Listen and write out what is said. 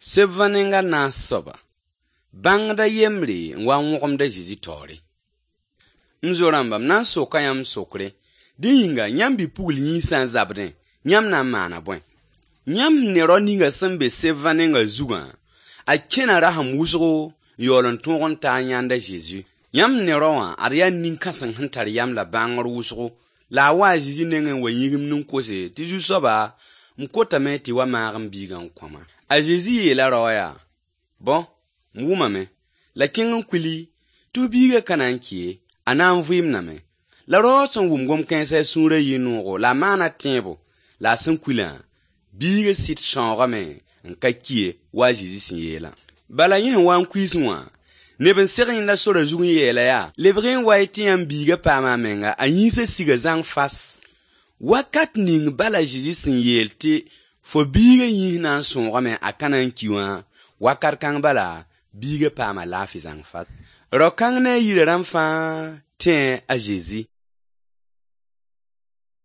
Sebã nenga naas soaba, bãngda yembre n wa n wõgemd a Zezi taoore. M zo-rãmba, m na n soka yãmb sokre, dẽ yĩnga yãmb bi-pugl yĩns sã n zabdẽ, yãmb na n maana bõe? Yãmb ne rao ninga sẽn be sebã nenga zugã, a kẽna rasem wʋsgo n yaool n tõog n ta n yãnd a Zezi. Yãmb ne rao wã, ad yaa nin-kãseng sẽn tar yam la bãngr wʋsgo, la a wa a Zezi nengẽ n wa yĩgimd n kose tɩ Zu-soaba, m kotame tɩ wa maag m biigã n kõ-ma. A Zezi yeela rao wã yaa: Bõ, m wʋmame, la kẽng n kuili tɩ f biigã ka na n ki ye, a na n vɩɩmdame. La rao wã sẽn wʋm gom-kãensã a sũurã yɩ noogo la a maana tẽebo, la a sẽn kuilã, biigã sɩd sãoogame n ka ki ye, wa a Zezi sẽn yeelã. Bala yẽ sẽn wa n kuiisẽ wã, neb n seg yẽnda sora zug n yeela yaa: Lebg-y n wa-y tɩ yãmb biigã paama a menga, a yĩnsã siga zãng fas. Wakat ning bala Zezi sẽn yeel tɩ fo biigã yĩns na n sõogame a ka na n ki wã, wakat kãng bala biigã paama laafɩ zãng fas. Rao-kãng ne a yirã rãmb fãa tẽe a Zezi.